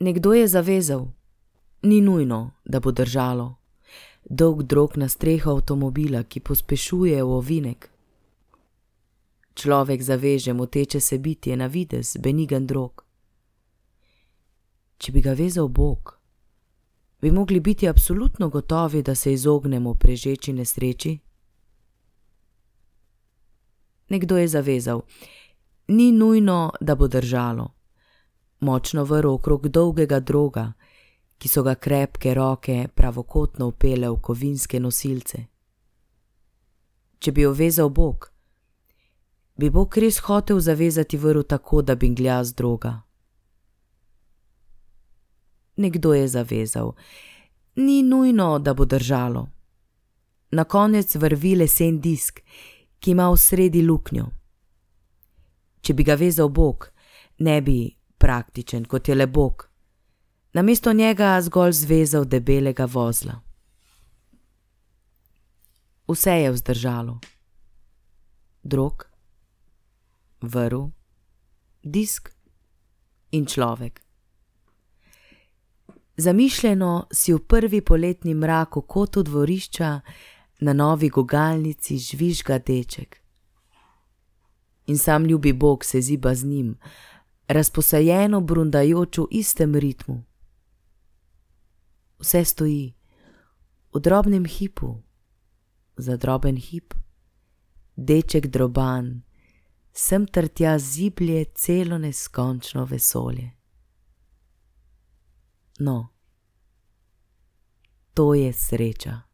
Nekdo je zavezal. Ni nujno, da bo držalo. Dolg drog na streho avtomobila, ki pospešuje v ovinek. Človek zaveže moteče se bitje na videz, benigen drog. Če bi ga vezal Bog, bi mogli biti absolutno gotovi, da se izognemo prežeči nesreči. Nekdo je zavezal. Ni nujno, da bo držalo. Močno vrv okrog dolgega droga, ki so ga krepke roke pravokotno vpele v kovinske nosilce. Če bi jo vezal Bog, bi Bog res hotel zavezati vrv tako, da binglja z droga. Nekdo je zavezal. Ni nujno, da bo držalo. Na konec vrvi lesen disk, ki ima v sredi luknjo. Če bi ga vezal Bog, ne bi, praktičen kot je le Bog, namesto njega zgolj zvezal debelega vozla. Vse je vzdržalo. Drog, vrv, disk in človek. Zamišljeno si v prvi poletni mrak v kotu dvorišča na novi gugalnici žvižga deček. In sam ljubi Bog se ziba z njim, razposajeno brundajoč v istem ritmu. Vse stoji v drobnem hipu, za droben hip, deček droban, sem ter tja ziblje celo neskončno vesolje. No, to je sreča.